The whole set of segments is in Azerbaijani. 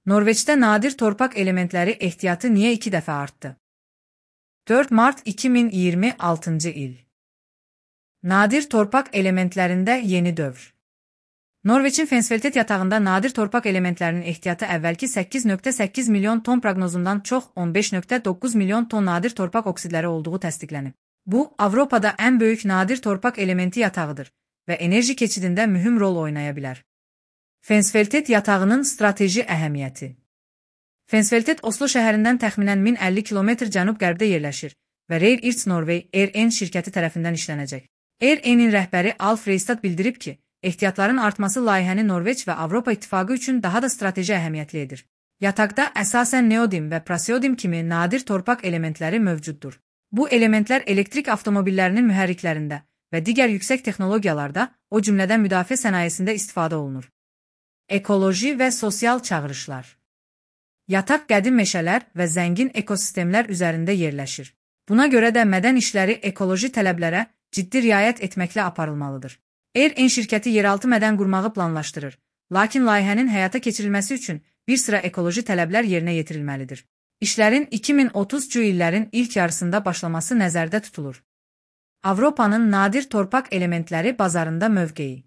Norveçdə nadir torpaq elementləri ehtiyatı niyə 2 dəfə artdı? 4 mart 2026 il. Nadir torpaq elementlərində yeni dövr. Norveçin Fensfeltet yatağında nadir torpaq elementlərinin ehtiyatı əvvəlki 8,8 milyon ton proqnozundan çox 15,9 milyon ton nadir torpaq oksidləri olduğu təsdiqlənib. Bu, Avropada ən böyük nadir torpaq elementi yatağıdır və enerji keçidində mühüm rol oynaya bilər. Fensfeltet yatağının strateji əhəmiyyəti. Fensfeltet Oslo şəhərindən təxminən 1050 km cənub-qərbdə yerləşir və Reyr Irts Norway RN şirkəti tərəfindən işlənəcək. RN-in rəhbəri Alf Reistad bildirib ki, ehtiyatların artması layihəni Norveç və Avropa İttifaqı üçün daha da strateji əhəmiyyətli edir. Yataqda əsasən neodim və praseodim kimi nadir torpaq elementləri mövcuddur. Bu elementlər elektrik avtomobillərinin mühərriklərində və digər yüksək texnologiyalarda, o cümlədən müdafiə sənayesində istifadə olunur. Ekoloji və sosial çağırışlar. Yataq qədim meşələr və zəngin ekosistemlər üzərində yerləşir. Buna görə də mədən işləri ekoloji tələblərə ciddi riayət etməklə aparılmalıdır. RN şirkəti yeraltı mədən qurmağı planlaşdırır, lakin layihənin həyata keçirilməsi üçün bir sıra ekoloji tələblər yerinə yetirilməlidir. İşlərin 2030-cu illərin ilk yarısında başlaması nəzərdə tutulur. Avropanın nadir torpaq elementləri bazarında mövqeyi.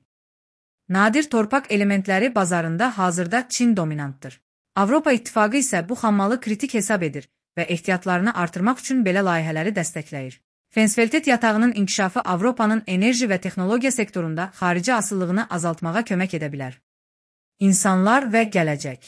Nadir torpaq elementləri bazarında hazırda Çin dominantdır. Avropa İttifaqı isə bu xammalı kritik hesab edir və ehtiyatlarını artırmaq üçün belə layihələri dəstəkləyir. Fensfeltet yatağının inkişafı Avropanın enerji və texnologiya sektorunda xarici asıllığını azaltmağa kömək edə bilər. İnsanlar və gələcək.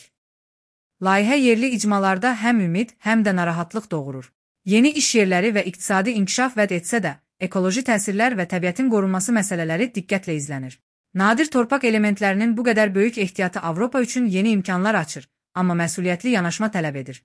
Layihə yerli icmalarda həm ümid, həm də narahatlıq doğurur. Yeni iş yerləri və iqtisadi inkişaf vəd etsə də, ekoloji təsirlər və təbiətin qorunması məsələləri diqqətlə izlənir. Nadir torpaq elementlərinin bu qədər böyük ehtiyatı Avropa üçün yeni imkanlar açır, amma məsuliyyətli yanaşma tələb edir.